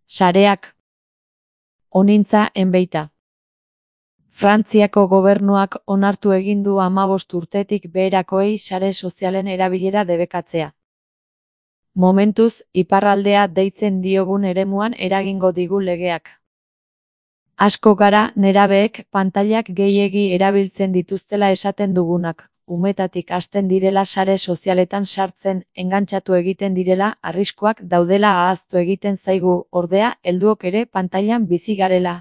Sareak. Honintza enbeita. Frantziako gobernuak onartu egin du 15 urtetik beherakoei sare sozialen erabilera debekatzea. Momentuz, iparraldea deitzen diogun eremuan eragingo digu legeak. Asko gara nerabeek pantailak gehiegi erabiltzen dituztela esaten dugunak, umetatik hasten direla sare sozialetan sartzen, engantxatu egiten direla, arriskuak daudela ahaztu egiten zaigu, ordea, helduok ere pantailan bizi garela.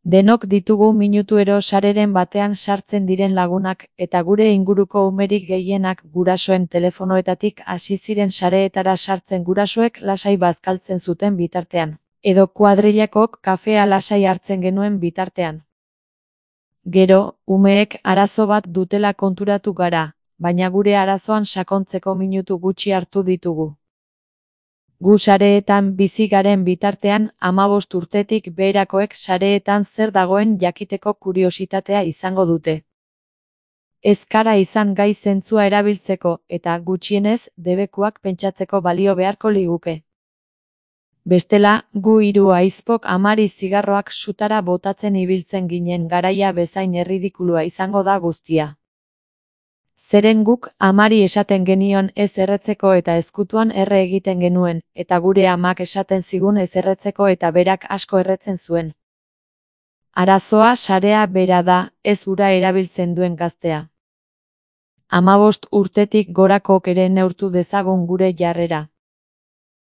Denok ditugu minutuero sareren batean sartzen diren lagunak, eta gure inguruko umerik gehienak gurasoen telefonoetatik hasi ziren sareetara sartzen gurasoek lasai bazkaltzen zuten bitartean, edo kuadrillakok kafea lasai hartzen genuen bitartean. Gero, umeek arazo bat dutela konturatu gara, baina gure arazoan sakontzeko minutu gutxi hartu ditugu. Gu sareetan bizi garen bitartean 15 urtetik beherakoek sareetan zer dagoen jakiteko kuriositatea izango dute. Ez gara izan gai zentzua erabiltzeko eta gutxienez debekuak pentsatzeko balio beharko liguke. Bestela, gu hiru ahizpok amari zigarroak sutara botatzen ibiltzen ginen garaia bezain erridikulua izango da guztia. Zeren guk amari esaten genion ez erretzeko eta ezkutuan erre egiten genuen, eta gure amak esaten zigun ez erretzeko eta berak asko erretzen zuen. Arazoa sarea bera da, ez ura erabiltzen duen gaztea. 15 urtetik gorakok ere neurtu dezagun gure jarrera.